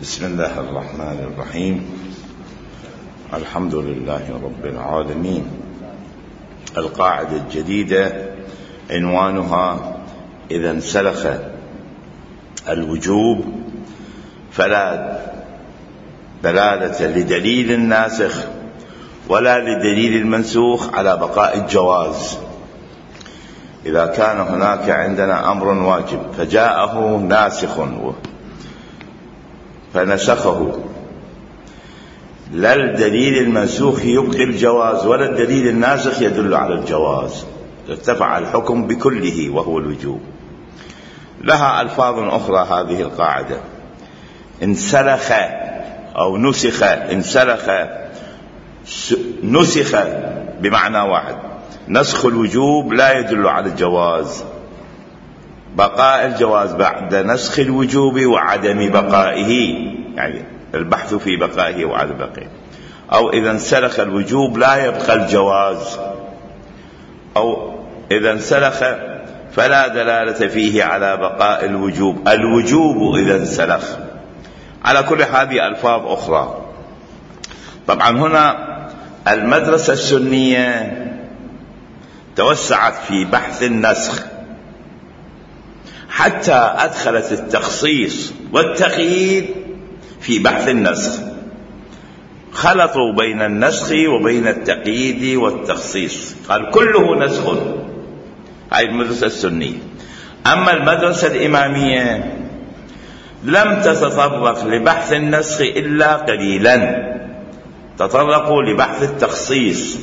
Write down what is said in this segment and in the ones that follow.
بسم الله الرحمن الرحيم. الحمد لله رب العالمين. القاعدة الجديدة عنوانها: إذا انسلخ الوجوب فلا دلالة لدليل الناسخ ولا لدليل المنسوخ على بقاء الجواز. إذا كان هناك عندنا أمر واجب فجاءه ناسخ فنسخه، لا الدليل المنسوخ يبقي الجواز ولا الدليل الناسخ يدل على الجواز، ارتفع الحكم بكله وهو الوجوب. لها ألفاظ أخرى هذه القاعدة: انسلخ أو نسخ. انسلخ نسخ بمعنى واحد. نسخ الوجوب لا يدل على الجواز، بقاء الجواز بعد نسخ الوجوب وعدم بقائه، يعني البحث في بقائه وعدم بقائه. أو إذا انسلخ الوجوب لا يبقى الجواز، أو إذا انسلخ فلا دلالة فيه على بقاء الوجوب. الوجوب إذا انسلخ. على كل هذه ألفاظ أخرى. طبعا هنا المدرسة السنية توسعت في بحث النسخ حتى أدخلت التخصيص والتقييد في بحث النسخ، خلطوا بين النسخ وبين التقييد والتخصيص، قال كله نسخ. هاي المدرسة السنية. أما المدرسة الإمامية لم تتطرق لبحث النسخ إلا قليلا، تطرقوا لبحث التخصيص،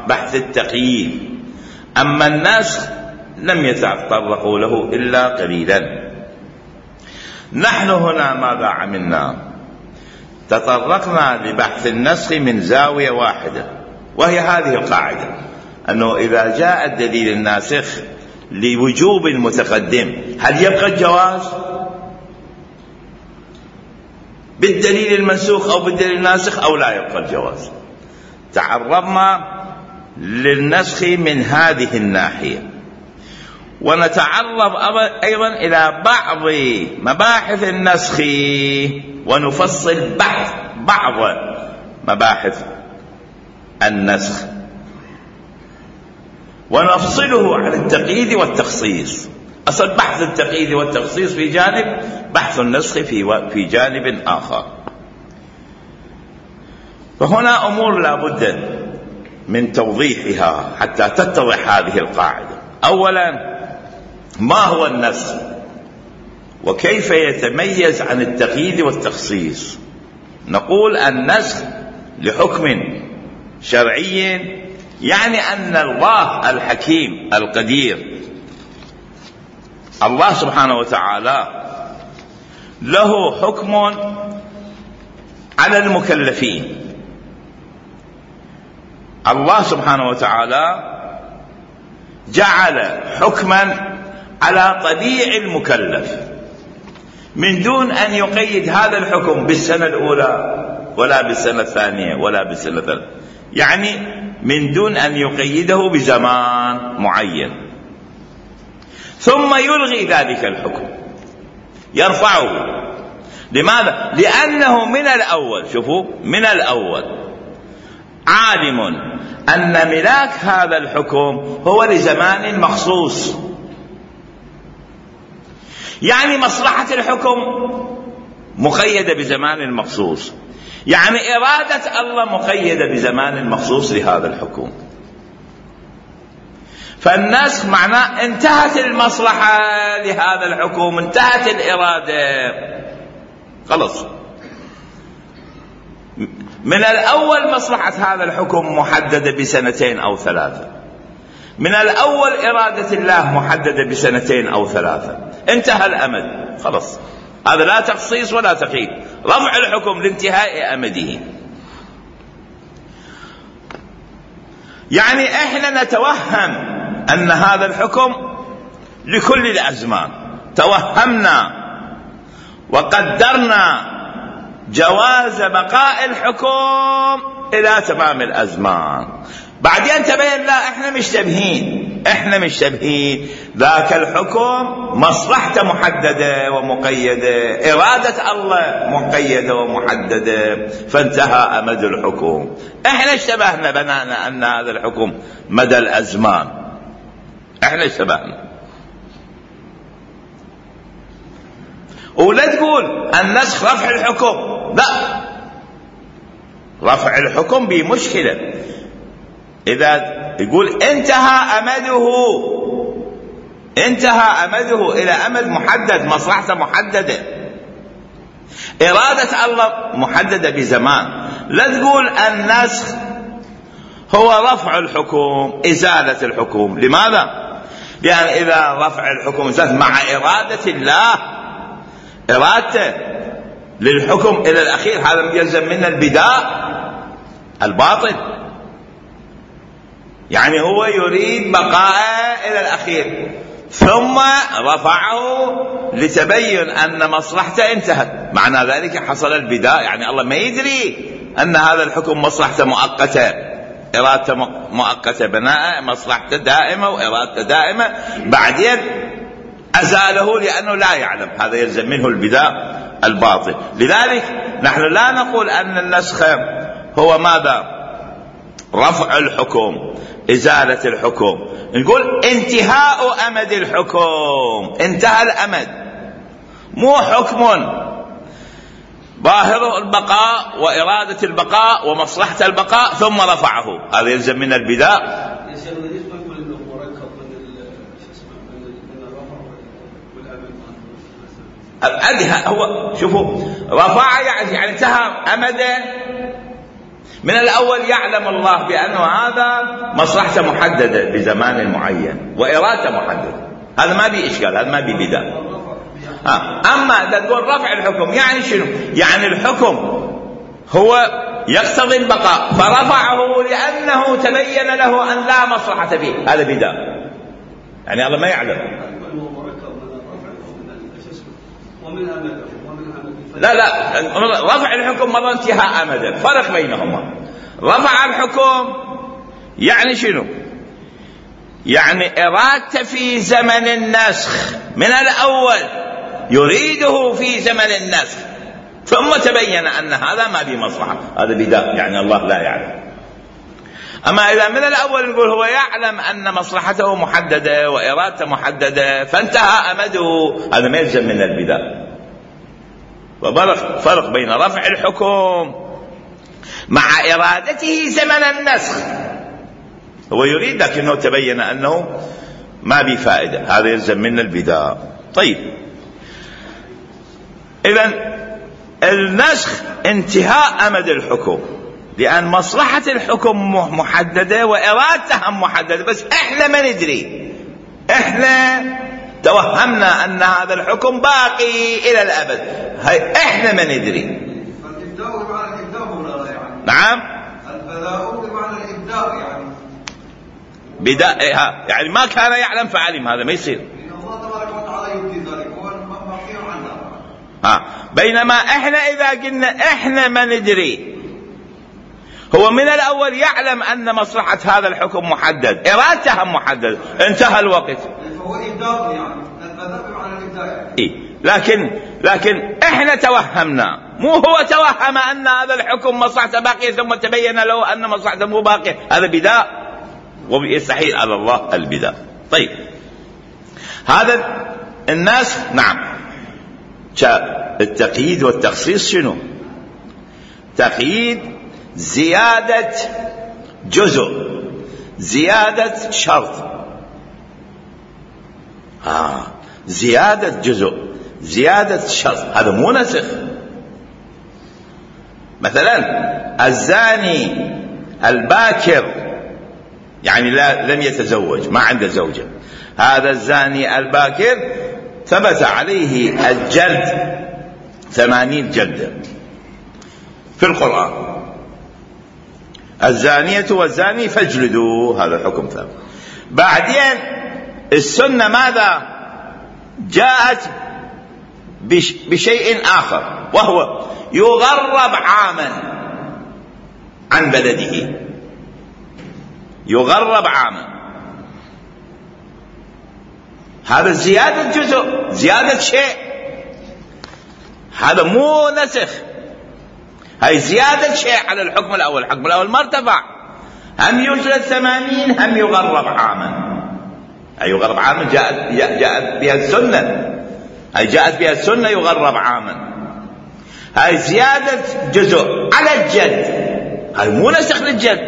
بحث التقييد. أما النسخ لم يتطرقوا له إلا قليلا. نحن هنا ماذا عملنا؟ تطرقنا لبحث النسخ من زاوية واحدة، وهي هذه القاعدة: أنه إذا جاء الدليل الناسخ لوجوب المتقدم هل يبقى الجواز بالدليل المنسوخ أو بالدليل الناسخ أو لا يبقى الجواز؟ تعرضنا للنسخ من هذه الناحية، ونتعرض أيضا إلى بعض مباحث النسخ ونفصل بعض مباحث النسخ ونفصله عن التقييد والتخصيص. أصل بحث التقييد والتخصيص في جانب، بحث النسخ في جانب آخر. فهنا أمور لا بد من توضيحها حتى تتضح هذه القاعدة. أولا، ما هو النسخ وكيف يتميز عن التقييد والتخصيص؟ نقول النسخ لحكم شرعي، يعني أن الله الحكيم القدير، الله سبحانه وتعالى له حكم على المكلفين. الله سبحانه وتعالى جعل حكما على طبيع المكلف من دون أن يقيد هذا الحكم بالسنة الأولى ولا بالسنة الثانية ولا بالسنة الثالثة، يعني من دون أن يقيده بزمان معين، ثم يلغي ذلك الحكم، يرفعه. لماذا؟ لأنه من الأول، شوفوا، من الأول عالم أن ملاك هذا الحكم هو لزمان مخصوص، يعني مصلحة الحكم مقيدة بزمان مخصوص، يعني إرادة الله مقيدة بزمان مخصوص لهذا الحكم. فالنسخ معناه انتهت المصلحة لهذا الحكم، انتهت الإرادة، خلص. من الأول مصلحة هذا الحكم محددة بسنتين أو ثلاثة، من الأول إرادة الله محددة بسنتين أو ثلاثة، انتهى الأمد، خلص. هذا لا تخصيص ولا تقييد، رفع الحكم لانتهاء أمده. يعني احنا نتوهم أن هذا الحكم لكل الأزمان، توهمنا وقدرنا جواز بقاء الحكم إلى تمام الأزمان. بعدين تبين لا، احنا مشتبهين، ذاك الحكم مصلحته محددة ومقيدة، إرادة الله مقيدة ومحددة، فانتهى أمد الحكم. احنا اشتبهنا بنانا أن هذا الحكم مدى الأزمان، احنا اشتبهنا. ولا تقول النسخ رفع الحكم، لا، رفع الحكم بمشكلة. إذا يقول انتهى أمده إلى أمد محدد، مصلحته محددة، إرادة الله محددة بزمان. لا تقول النسخ هو رفع الحكم إزالة الحكم. لماذا؟ لأن إذا رفع الحكم إزالة مع إرادة الله، إرادته للحكم إلى الأخير، هذا يلزم من البداء الباطل، يعني هو يريد بقاء إلى الأخير ثم رفعه لتبين أن مصلحته انتهت، معنى ذلك حصل البداء. يعني الله ما يدري أن هذا الحكم مصلحته مؤقتة، إرادته مؤقتة، بناء مصلحته دائمة وإرادته دائمة، بعدين أزاله لأنه لا يعلم، هذا يلزم منه البداء الباطل. لذلك نحن لا نقول أن النسخ هو ماذا؟ رفع الحكم، إزالة الحكم. نقول انتهاء أمد الحكم، انتهى الأمد، مو حكم ظاهر البقاء وإرادة البقاء ومصلحة البقاء ثم رفعه، هذا يلزم من البداء. هو شوفوا، رفع يعني انتهى أمده من الأول، يعلم الله بأنه هذا مصلحته محددة بزمان معين وإرادته محددة، هذا ما بي إشكال، هذا ما بي بداء. أما إذا تقول رفع الحكم يعني شنو؟ يعني الحكم هو يقتضي البقاء فرفعه لأنه تبين له أن لا مصلحة فيه، هذا بداء، يعني الله ما يعلم. لا رفع الحكم مرة انتهاء أمدا، فرق بينهما. رفع الحكم يعني شنو؟ يعني إرادته في زمن النسخ من الأول، يريده في زمن النسخ ثم تبين أن هذا ما به مصلحة، هذا بداء، يعني الله لا يعلم. أما إذا من الأول نقول هو يعلم أن مصلحته محددة وإرادته محددة فانتهى أمده، هذا ما يلزم من البداء. وفرق بين رفع الحكم مع إرادته زمن النسخ، هو يريد لكنه تبين أنه ما بفائدة، هذا يلزم من البداء. طيب، إذن النسخ انتهاء أمد الحكم، لأن مصلحة الحكم محددة وإرادتها محددة، بس إحنا ما ندري، إحنا توهمنا أن هذا الحكم باقي إلى الأبد، هاي إحنا ما ندري. الإبداء بمعنى الإبداء ولا يعني؟ نعم، البداء بمعنى الإبداء يعني بداء، يعني ما كان يعلم فعلم، هذا ما يصير. إن الله تبارك وتعالى يبدي ذلك، هو مبقي عنه. بينما إحنا إذا قلنا إحنا ما ندري، هو من الأول يعلم أن مصلحة هذا الحكم محدد، إرادتها محدد، انتهى الوقت. فهو إبداء يعني البداء بمعنى الإبداء. لكن إحنا توهمنا، مو هو توهم أن هذا الحكم مصلحته باقية ثم تبين له أن مصلحته مو باقية، هذا بداء ويستحيل على الله البداء. طيب، هذا الناس نعم، التقييد والتخصيص شنو؟ تقييد زيادة جزء، زيادة شرط، زيادة جزء، زيادة شرط، هذا مو نسخ. مثلا الزاني الباكر يعني لم يتزوج، ما عنده زوجة، هذا الزاني الباكر ثبت عليه الجلد 80 جلدة في القرآن، الزانية والزاني فاجلدوا، هذا الحكم ثابت. بعدين السنة ماذا جاءت؟ بشيء آخر، وهو يغرب عاما عن بلده، يغرب عاما. هذا زيادة جزء، زيادة شيء، هذا مو نسخ، هاي زيادة شيء على الحكم الأول. الحكم الأول ما ارتفع، هم يجلد 80 هم يغرب عاما. أي يغرب عاما جاءت بها السنة، هاي جاءت بها السنة يغرب عاما. هاي زيادة جزء على الجد، هاي مو نسخ للجد،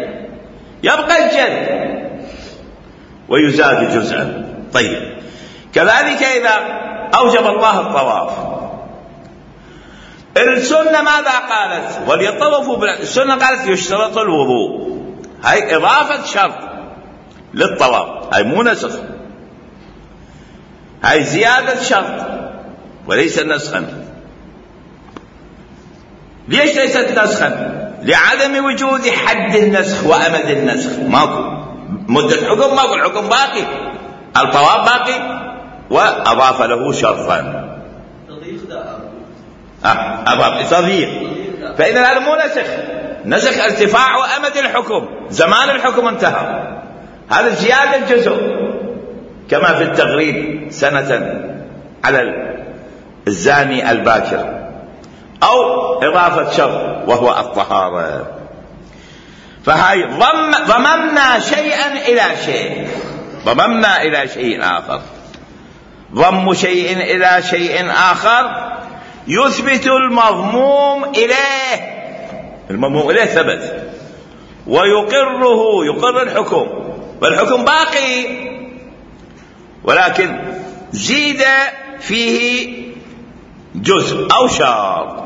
يبقى الجد ويزاد جزءا. طيب كذلك إذا أوجب الله الطواف، السنة ماذا قالت؟ وليطوفوا السنة قالت يشترط الوضوء، هاي إضافة شرط للطواف، هاي مو نسخ، هاي زيادة شرط وليس نسخا. ليش ليست نسخا؟ لعدم وجود حد النسخ وأمد النسخ، ماكو مدة حكم، ماكو، الحكم باقي، الطواف باقي، وأضاف له شرطا تضييق. فإذا هذا مو نسخ، نسخ ارتفاع أمد الحكم، زمان الحكم انتهى، هذا زيادة جزء كما في التغريب سنة على الزاني الباكر، أو إضافة شرط وهو الطهارة. فهاي ضممنا شيئا إلى شيء، ضممنا إلى شيء آخر. ضم شيء إلى شيء آخر يثبت المضموم إليه، المضموم إليه ثبت، ويقره، يقر الحكم، والحكم باقي ولكن زيد فيه جزء أو شرط.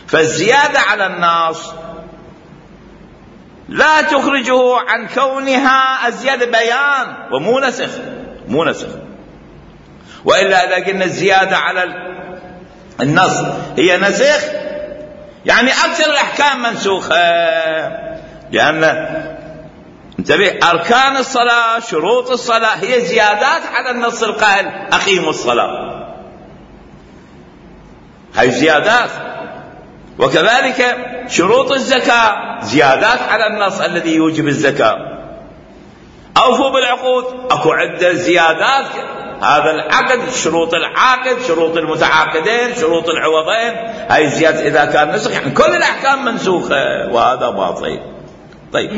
فالزيادة على النص لا تخرجه عن كونها الزيادة بيان ومو نسخ، مو نسخ. وإلا إذا قلنا الزيادة على النص هي نسخ، يعني أكثر الأحكام منسوخة، لأن انتبه أركان الصلاة شروط الصلاة هي زيادات على النص القائل أقيموا الصلاة، هاي زيادات. وكذلك شروط الزكاة زيادات على النص الذي يوجب الزكاة. أوفوا بالعقود، أكو عدة زيادات، هذا العقد، شروط العاقد، شروط المتعاقدين، شروط العوضين، هاي زيادة إذا كان نسخ، يعني كل الأحكام منسوخة، وهذا باطل. طيب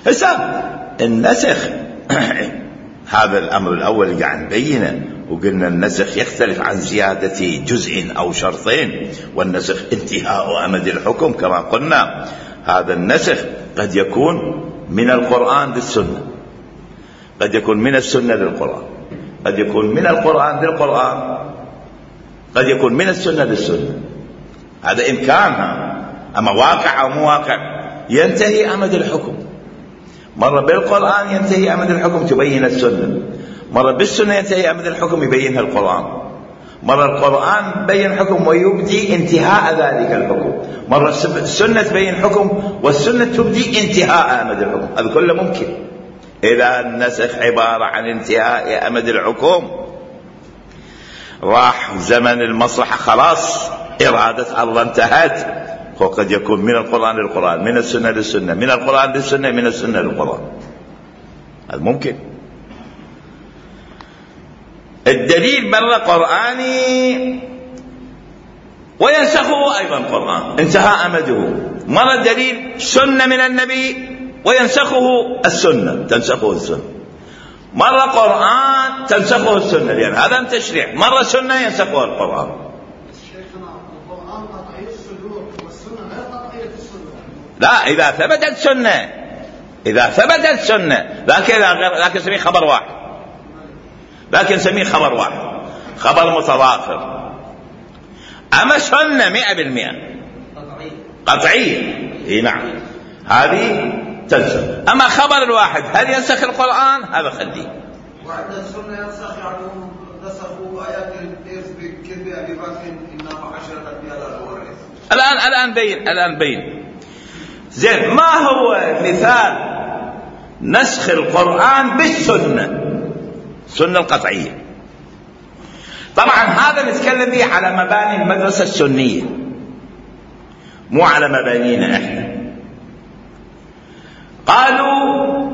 هسه النسخ هذا الأمر الأول اللي قاعد نبينه، وقلنا النسخ يختلف عن زيادة جزء أو شرطين، والنسخ انتهاء أمد الحكم كما قلنا. هذا النسخ قد يكون من القرآن للسنة، قد يكون من السنة للقرآن، قد يكون من القرآن للقرآن، قد يكون من السنة للسنة، هذا إمكانها. أما واقع أو مو واقع ينتهي أمد الحكم، مرة بالقرآن ينتهي أمد الحكم تبين السنة، مرة بالسنة ينتهي أمد الحكم يبينها القرآن، مرة القرآن بين حكم ويبدي انتهاء ذلك الحكم، مرة السنة تبين حكم والسنة تبدي انتهاء أمد الحكم. هذا كله ممكن. إذا النسخ عبارة عن انتهاء أمد الحكم، راح زمن المصلحة خلاص، إرادة الله انتهت، وقد يكون من القرآن للقرآن، من السنة للسنة، من القرآن للسنة، من السنة للقرآن، هذا ممكن. الدليل مرة قرآني وينسخه أيضا قرآن انتهى أمده، مرة دليل سنة من النبي وينسخه السنة، تنسخه السنة، مرة قرآن تنسخه السنة، لأن هذا تشريع، مرة سنة ينسخه القرآن. القرآن قطعي الصدور والسنة غير قطعية الصدور. لا، إذا ثبتت سنة، إذا ثبتت سنة، لكن نسميه خبر واحد، لكن نسميه خبر واحد، خبر متضافر. أما سنة 100% قطعية، إيه نعم، هذه تنسخ. أما خبر الواحد هل ينسخ القرآن؟ هذا خليه. وعند السنة ينسخ، يعني نسخوا آيات الإرث بكذب أبي بكر إنما 10 أنبياء ورث. الآن بين زين. ما هو مثال نسخ القرآن بالسنة؟ السنة القطعية. طبعا هذا نتكلم به على مباني المدرسة السنية، مو على مبانينا احنا. قالوا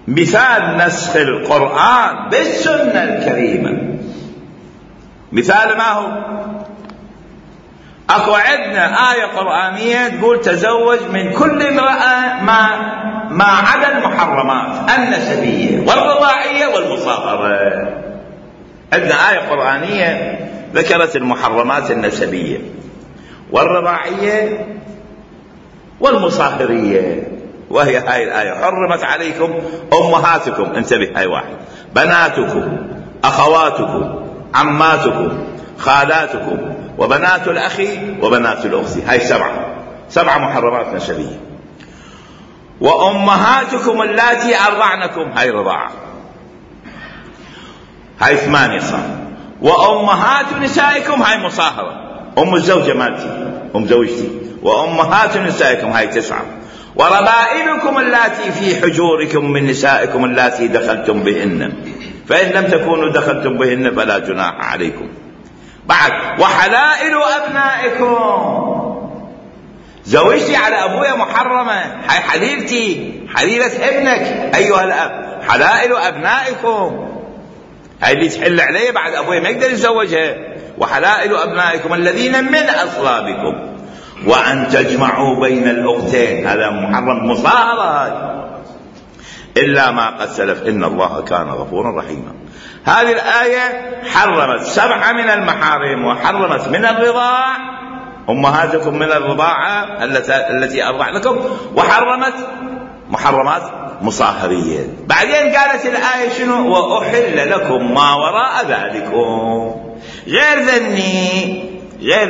مثال نسخ القرآن بالسنة الكريمة، مثال ما هو؟ اكو عندنا آية قرآنية تقول تزوج من كل امرأة ما عدا المحرمات النسبية والرضاعية والمصاهرة. عندنا آية قرآنية ذكرت المحرمات النسبية والرضاعية والمصاهرية، وهي هاي الآية: حرمت عليكم أمهاتكم، انتبه هاي واحد، بناتكم، أخواتكم، عماتكم، خالاتكم، وبنات الأخ وبنات الأخت. هاي سبعة محرمات نسبية. وأمهاتكم اللاتي أرضعنكم، هاي رضاعة، هاي 8 صار. وأمهات نسائكم، هاي مصاهرة، أم الزوجة مالتي، أم زوجتي. وأمهات نسائكم، هاي 9. وربائبكم اللاتي في حجوركم من نسائكم اللاتي دخلتم بهن، فإن لم تكونوا دخلتم بهن فلا جناح عليكم. بعد: وحلائل أبنائكم، زوجتي على أبويا محرمة، هاي حليلتي، حليلة ابنك أيها الأب. حلائل أبنائكم، هاي اللي تحل عليه بعد أبويا ما يقدر يتزوجها. وحلائل أبنائكم الذين من أصلابكم، وأن تجمعوا بين الأختين، هذا محرم، مصاهرة هاي، إلا ما قد سلف إن الله كان غفورا رحيما. هذه الآية حرمت 7 من المحارم، وحرمت من الرضاع أمهاتكم من الرضاعة التي أرضعنكم، وحرمت محرمات مصاهرية. بعدين قالت الآية شنو؟ وأحل لكم ما وراء ذلكم، غير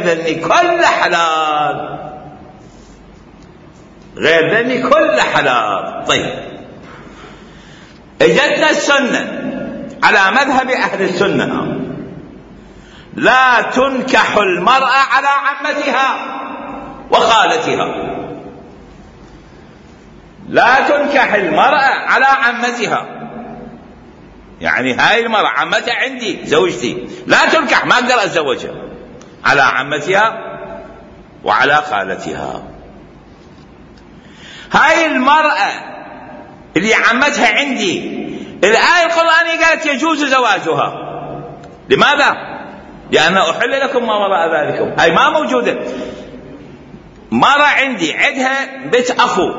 ذني كل حلال، غير ذني كل حلال. طيب، اجتنا السنة على مذهب أهل السنة: لا تنكح المرأة على عمتها وخالتها. لا تنكح المرأة على عمتها، يعني هاي المرأة عمتها عندي زوجتي، لا تنكح، ما أقدر أتزوجها، على عمتها وعلى خالتها. هاي المرأة اللي عمتها عندي، الآية القرآنية قالت يجوز زواجها. لماذا؟ لأن أحل لكم ما وراء ذلكم، هاي ما موجودة. مرة عندي عندها بنت أخو،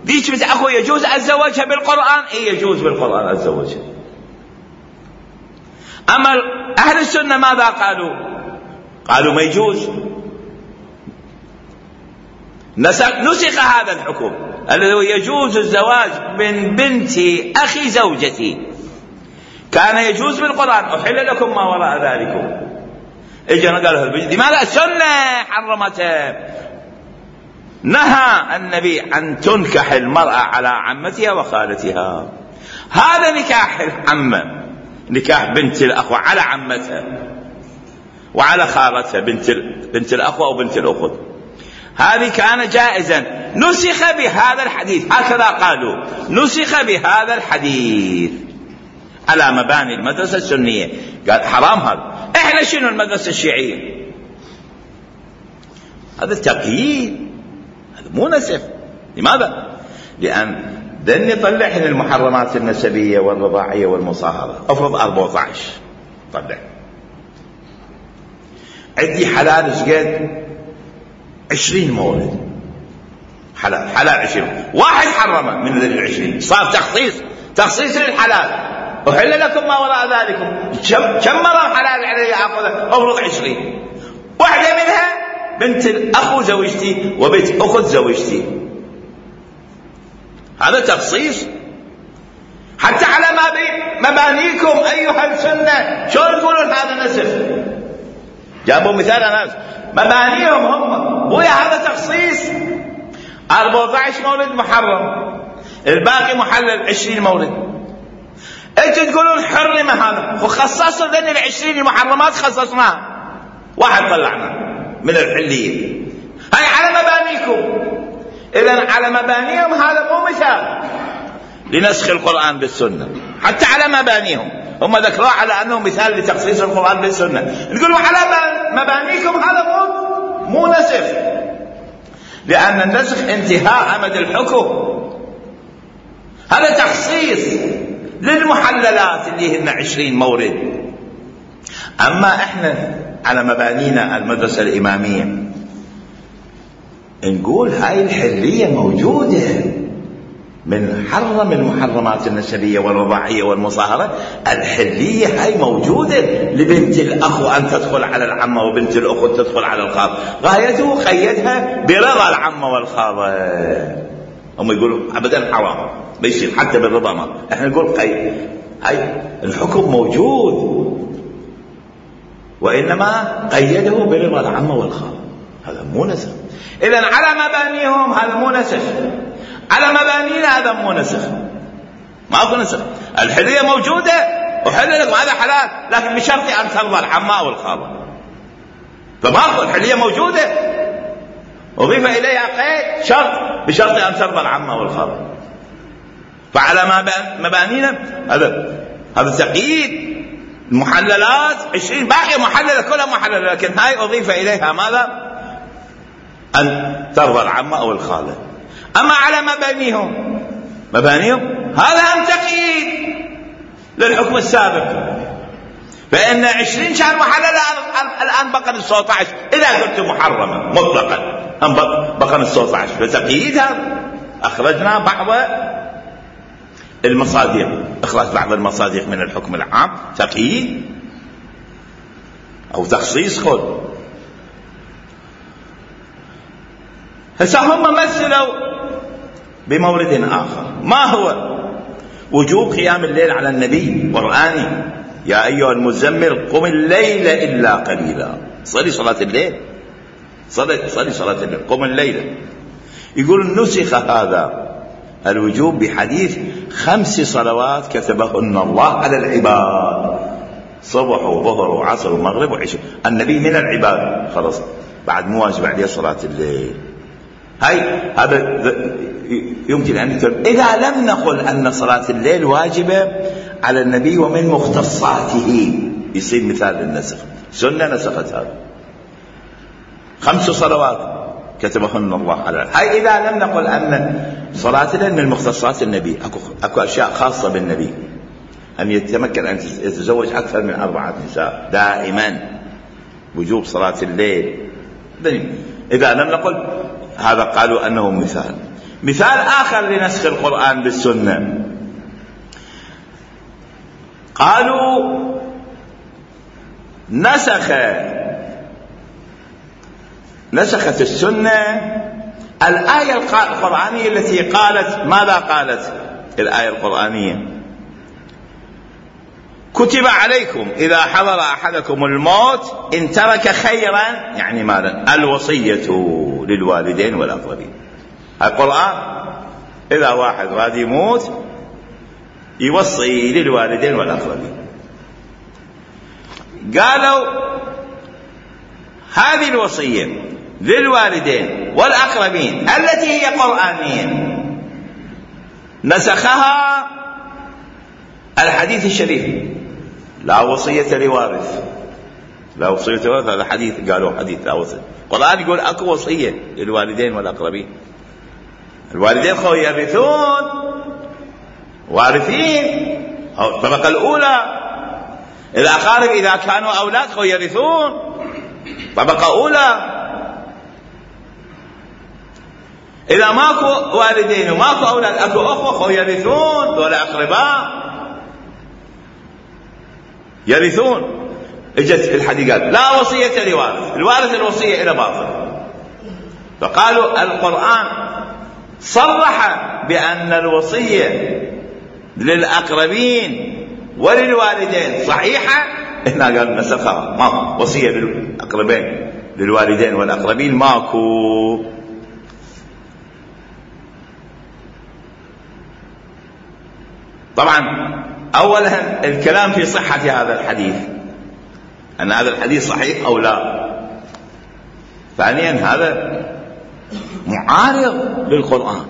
ذيك بنت أخو يجوز أتزوجها بالقرآن؟ إيه يجوز بالقرآن أتزوجها. أما أهل السنة ماذا قالوا ما يجوز. نسخ هذا الحكم الذي يجوز الزواج من بنت أخي زوجتي، كان يجوز بالقرآن: أحل لكم ما وراء ذلكم. اجينا قالوا لماذا السنة حرمته؟ نهى النبي أن تنكح المرأة على عمتها وخالتها. هذا نكاح العمة، نكاح بنت الأخوة على عمتها وعلى خالتها، بنت الأخوة أو بنت الأخت، هذه كان جائزا. نسخ بهذا الحديث، هكذا قالوا، نسخ بهذا الحديث على مباني المدرسة السنية. قال حرام هذا. احنا شنو المدرسة الشيعية؟ هذا التقييد، هذا مو نسخ. لماذا؟ لأن ذني طلعن المحرمات النسبية والرضاعية والمصاهرة. افرض 14 طلع عندي حلال شقد 20 مولد، حلال 20، واحد حرمه من ذي 20، صار تخصيص للحلال. أحل لكم ما وراء ذلكم. كم مرة حلال علي أخذها؟ أفرض 20، واحدة منها بنت الأخو زوجتي وبنت أخت زوجتي، هذا تخصيص. حتى على مبانيكم أيها السنة، شلون تقولون هذا نسخ؟ جابوا مثال ناس مبانيهم هم، ويا هذا تخصيص. 14 مولد محرم، الباقي محلل 20 مولد. انتوا تقولون حرم هذا، وخصصوا لنا 20 المحرمات خصصناها، واحد طلعنا من الحلية. هاي على مبانيكم. إذن على مبانيهم هذا مو مثال لنسخ القرآن بالسنة، حتى على مبانيهم هم ذكروه على أنه مثال لتخصيص القرآن بالسنة. نقولوا على مبانيكم هذا مو نسخ، لأن النسخ انتهاء أمد الحكم. هذا تخصيص للمحللات اللي هن 20 مورد. أما إحنا على مبانينا المدرسة الإمامية نقول هاي الحرية موجودة، من حرم المحرمات النسبية والرضاعية والمصاهرة، الحرية هاي موجودة لبنت الأخ أن تدخل على العمة، وبنت الأخت تدخل على الخالة. غايته قيدها برضا العمة والخالة. هم يقولوا أبدا حرام ما يصير حتى بالرضا، ما احنا نقول قيد. هاي الحكم موجود، وإنما قيده برضا العمة والخالة. هذا مو نسخ. إذن على مبانيهم هذا مو نسخ، على مبانينا هذا مو نسخ، ماكو نسخ. الحرية موجودة وحل لكم هذا حلال، لكن بشرط أن ترضى العمة والخالة. فماكو، الحرية موجودة أضيف إليها قيد شرط، بشرط أن ترضى العمة والخالة. فعلى مبانينا هذا تقييد. المحللات 20 باقي محللة، كلها محللة، لكن هاي أضيف إليها ماذا؟ أن ترضى العمة أو الخالة. أما على مبانيهم هذا هم تقييد للحكم السابق. فإن 20 شهر محللة الآن بقى 19 إذا قلت محرمة مطلقا، هم بقى 19. فتقييدها أخرجنا بعض المصادق، إخراج بعض المصادق من الحكم العام تقييد أو تخصيص. خذ هسه هم مثلوا بمورد آخر، ما هو؟ وجوب قيام الليل على النبي قرآني. يا أيها المزمل قم الليل إلا قليلا. صلي صلاة الليل، صلي صلاة الليل، قم الليل. يقول نسخ هذا الوجوب بحديث 5 صلوات كتبهن الله على العباد، صبح وظهر وعصر ومغرب وعشاء. النبي من العباد، خلاص بعد مو واجب عليه صلاة الليل. هذا يمكن أن يكون إذا لم نقل أن صلاة الليل واجبة على النبي ومن مختصاته، يصير مثال للنسخ. سنة نسخت هذا 5 صلوات كتبهن الله على. هاي إذا لم نقل أن صلاة الليل من مختصات النبي. أكو أشياء خاصة بالنبي، أن يتمكن أن يتزوج أكثر من 4 نساء دائما، وجوب صلاة الليل. إذا لم نقل هذا قالوا أنه مثال آخر لنسخ القرآن بالسنة. قالوا نسخت السنة الآية القرآنية التي قالت ماذا؟ قالت الآية القرآنية كتب عليكم إذا حضر أحدكم الموت إن ترك خيرا، يعني ماذا؟ الوصية للوالدين والأقربين. القرآن إذا واحد غادي يموت يوصي للوالدين والأقربين. قالوا هذه الوصية للوالدين والأقربين التي هي قرآنية نسخها الحديث الشريف لا وصية لوارث. لا وصية لوارث، هذا حديث، قالوا حديث لا وصية. القرآن يقول أكو وصية للوالدين والأقربين. الوالدين خو يرثون، وارثين الطبقة الأولى. الأقارب إذا كانوا أولاد خو يرثون، طبقة أولى. إذا ماكو والدين وماكو أولاد، أكو أخوة خو يرثون، ولا أقرباء يرثون. اجت الحديث قال لا وصية لوارث، الوارث الوصية إلى باطل. فقالوا القرآن صرح بأن الوصية للأقربين وللوالدين صحيحة، هنا قال نسخها، ما وصية للأقربين للوالدين والأقربين ماكو. طبعا أولا الكلام في صحة هذا الحديث، أن هذا الحديث صحيح أو لا. ثانيا هذا معارض للقرآن،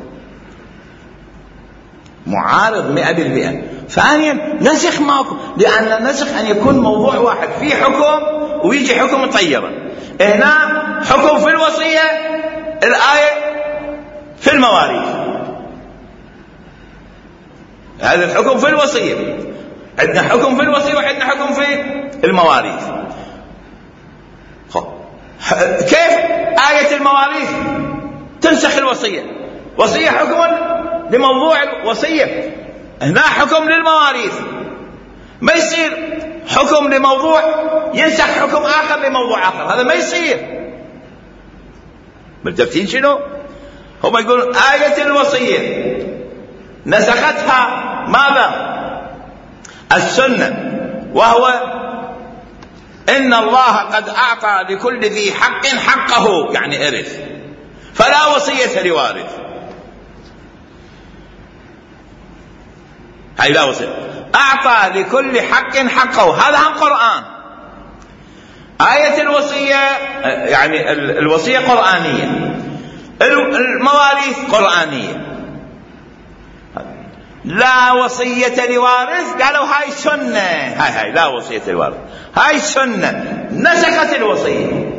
معارض 100%. ثانيا نسخ ماكو، لأن النسخ أن يكون موضوع واحد في حكم ويجي حكم طيبا. هنا حكم في الوصية، الآية في المواريث. هذا الحكم في الوصية. عندنا حكم في الوصية وعندنا حكم في المواريث. كيف آية المواريث تنسخ الوصية؟ وصية حكم لموضوع الوصية، هنا حكم للمواريث، ما يصير حكم لموضوع ينسخ حكم آخر لموضوع آخر، هذا ما يصير. ملتفتين شنو؟ هم يقولون آية الوصية نسختها ماذا؟ السنة، وهو إن الله قد أعطى لكل ذي حق حقه، يعني إرث، فلا وصية لوارث. هاي لا وصية، أعطى لكل حق حقه، هذا هم قرآن. آية الوصية يعني الوصية قرآنية، المواريث قرآنية. لا وصية لوارث، قالوا هاي سنة، هاي لا وصية لوارث، هاي سنة نسخت الوصية.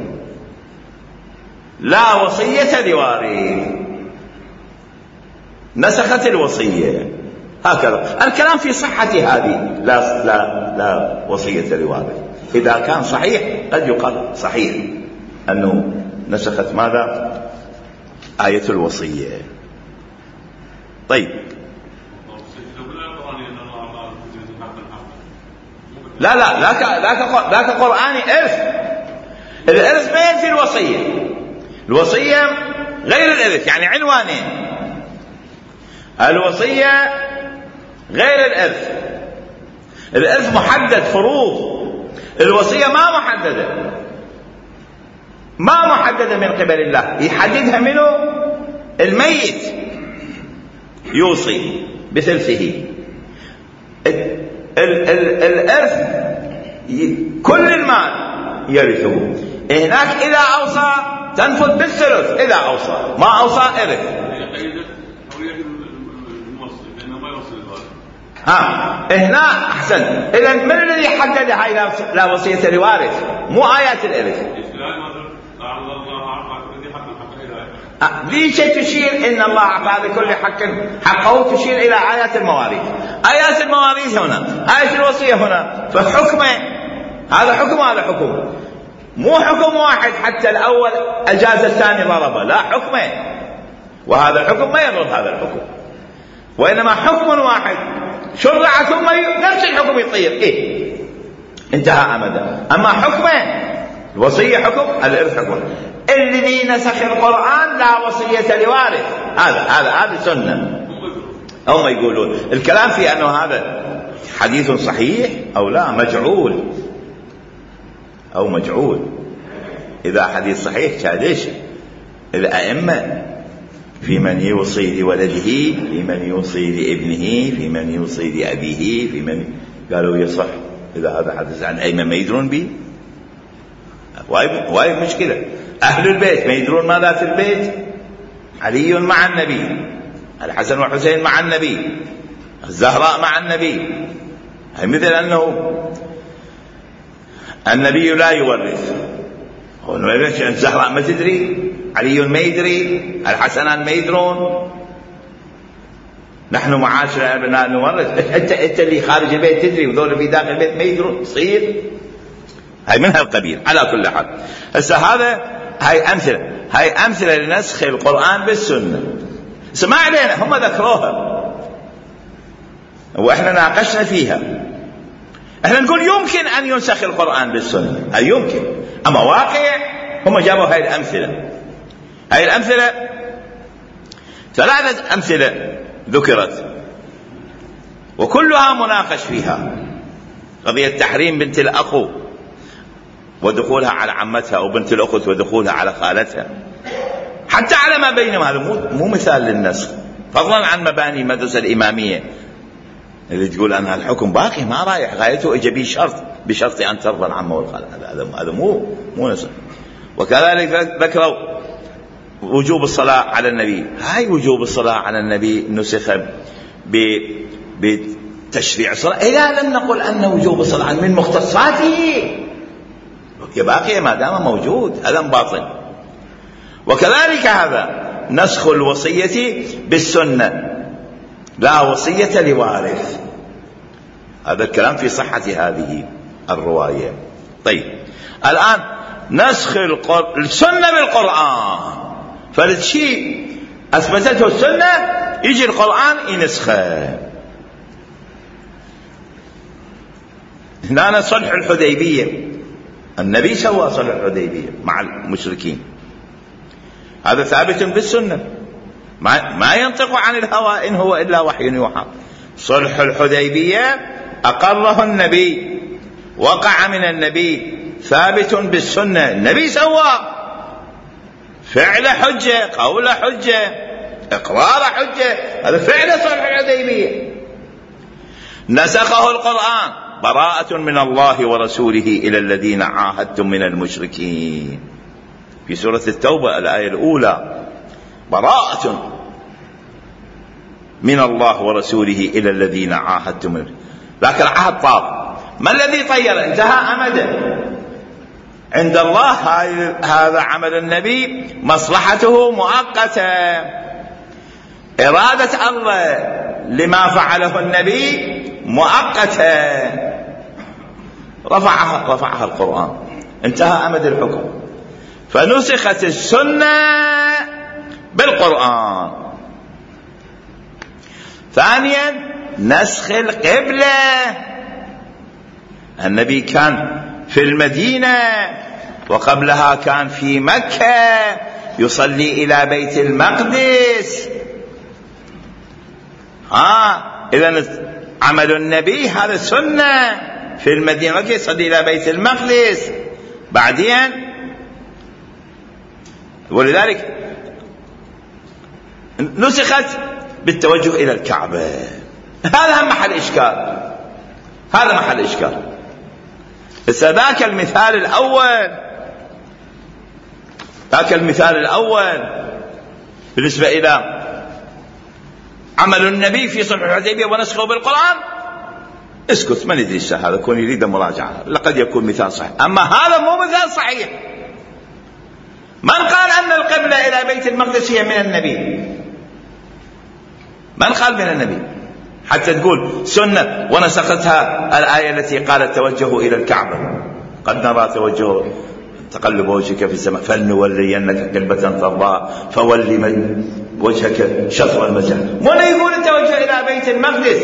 لا وصية لوارث نسخت الوصية، هكذا الكلام في صحة هذه. لا وصية لوارث إذا كان صحيح قد يقال صحيح أنه نسخت ماذا؟ آية الوصية. طيب لا كقرآني إرث. الإرث ما ينفي الوصية، الوصية غير الإرث، يعني عنوانين، الوصية غير الإرث. الإرث محدد فروض، الوصية ما محددة من قبل الله، يحددها منه الميت، يوصي بثلثه. الإرث كل المال يرثه، هناك إذا أوصى تنفذ بالثلث، إذا أوصى، ما أوصى إرث. هنا أحسن. إذا من الذي حدد هاي لا وصية لوارث؟ مو آيات الإرث. ليش تشير إن الله أعطى لكل حق حقه؟ تشير إلى آيات المواريث. آيات المواريث هنا، آية الوصية هنا، فحكمه هذا حكم وهذا حكم، مو حكم واحد حتى الأول أجاز الثاني ضربه، لا حكمه، وهذا الحكم ما يضرب هذا الحكم، وإنما حكم واحد شرع ثم نفس الحكم يطير، انتهى أمدا. أما حكمه الوصية حكم، الإرث حكم. الذي نسخ القرآن لا وصية لوارث، هذا سنة. هم يقولون الكلام في أنه هذا حديث صحيح أو لا، مجعول. إذا حديث صحيح كادش الأئمة في من يوصي لولده، في من يوصي لابنه، في من يوصي لأبيه، في من قالوا يصح إذا هذا حدث عن أئمة ما يدرون به. وايد مشكلة. أهل البيت ما يدرون ماذا في البيت. علي مع النبي، الحسن والحسين مع النبي، الزهراء مع النبي، مثل أنه النبي لا يورث، الزهراء ما تدري، علي ما يدري، الحسنان ما يدرون، نحن معاشر الأبناء نورث. أنت اللي خارج البيت تدري وذول في داخل البيت ما يدرون، تصير هاي من هالقبيل. على كل حال هسه هاي أمثلة لنسخ القرآن بالسنة. ما علينا، هم ذكروها وإحنا ناقشنا فيها. إحنا نقول يمكن أن ينسخ القرآن بالسنة، أي يمكن، أما واقع هم جابوا هاي الأمثلة. هاي الأمثلة 3 أمثلة ذكرت وكلها مناقش فيها. قضية تحريم بنت الأخو ودخولها على عمتها، أو بنت الأخت ودخولها على خالتها، حتى على ما بينهم. هذا مو مثال للنسخ، فضلا عن مباني المدرسة الإمامية اللي تقول أنها الحكم باقي ما رايح، غايته إجا بشرط أن ترضى العمة والخالة. هذا مو نسخ. وكذلك ذكروا وجوب الصلاة على النبي. هاي وجوب الصلاة على النبي نسخ بتشريع الصلاة، إذا لم نقل أن وجوب الصلاة من مختصاته باقي ما دام موجود، هذا باطل. وكذلك هذا نسخ الوصية بالسنة، لا وصية لوارث. هذا الكلام في صحة هذه الرواية. طيب الآن نسخ السنة بالقرآن، فالشيء أثبتته السنة يجي القرآن ينسخه. هنا صلح الحديبية، النبي سوى صلح الحديبية مع المشركين، هذا ثابت بالسنة، ما ينطق عن الهوى إن هو إلا وحي يوحى. صلح الحديبية أقره النبي، وقع من النبي، ثابت بالسنة، النبي سوى، فعل حجة، قول حجة، إقرار حجة، هذا فعل صلح الحديبية. نسخه القرآن، براءة من الله ورسوله إلى الذين عاهدتم من المشركين، في سورة التوبة الآية الأولى، براءة من الله ورسوله إلى الذين عاهدتم منه. لكن العهد طار، ما الذي طير؟ انتهى أمده عند الله. هذا عمل النبي مصلحته مؤقتة، إرادة الله لما فعله النبي مؤقتة، رفعها القرآن، انتهى أمد الحكم، فنسخت السنة بالقرآن. ثانيا نسخ القبلة، النبي كان في المدينة وقبلها كان في مكة يصلي إلى بيت المقدس. إذن عمل النبي هذا سنة، في المدينة يصلي إلى بيت المقدس. بعدين ولذلك نسخت بالتوجه إلى الكعبة. هذا هم محل إشكال، هذا محل إشكال. ذاك المثال الأول بالنسبة إلى عمل النبي في صلح الحديبية ونسخه بالقرآن، اسكت، ما ندري هذا كون يريد مراجعة، لقد يكون مثال صحيح، أما هذا مو مثال صحيح. من قال أن القبلة إلى بيت المقدس هي من النبي؟ من قال من النبي حتى تقول سنة ونسختها الآية التي قالت توجهوا إلى الكعبة، قد نرى توجه تقلب وجهك في السماء فلنولينك قبلة ترضاها فول من وجهك شطر المسجد. من يقول التوجه إلى بيت المقدس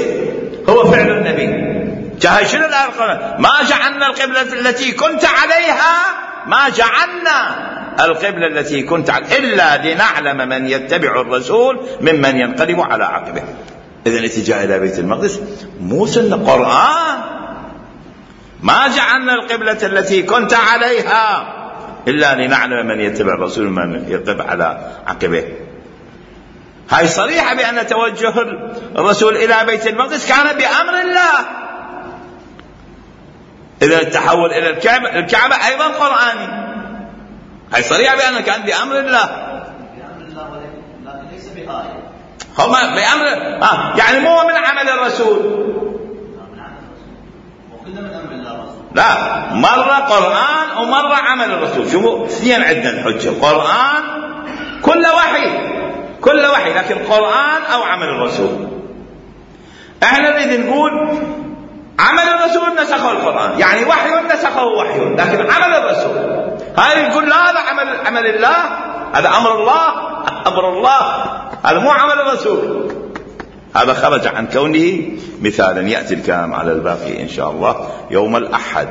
هو فعل النبي؟ شنو الآية؟ ما جعلنا القبلة التي كنت عليها، ما جعلنا القبلة التي كنت عليها إلا لنعلم من يتبع الرسول ممن ينقلب على عقبه. إذن اتجاه إلى بيت المقدس مو سنة، قرآن. ما جعلنا القبلة التي كنت عليها إلا لنعلم من يتبع الرسول ممن ينقلب على عقبه. هاي صريحة بأن توجه الرسول إلى بيت المقدس كان بأمر الله. إذا التحول إلى الكعبة أيضا قرآني، هاي صريحة بأنه كان بأمر الله، ولكن ليس بآية، هما بأمر يعني مو من عمل الرسول، وكل من أمر الله رسول. لا، مرة قرآن ومرة عمل الرسول. شوفوا اثنين عندنا الحجة، قرآن كل وحي، لكن قرآن أو عمل الرسول. احنا نريد نقول عمل الرسول نسخه القرآن، يعني وحي نسخه وحي، لكن عمل الرسول هاي نقول لا، هذا عمل الله، هذا أمر الله، هذا مو عمل الرسول. هذا خرج عن كونه مثالا، يأتي الكلام على الباقي إن شاء الله يوم الأحد.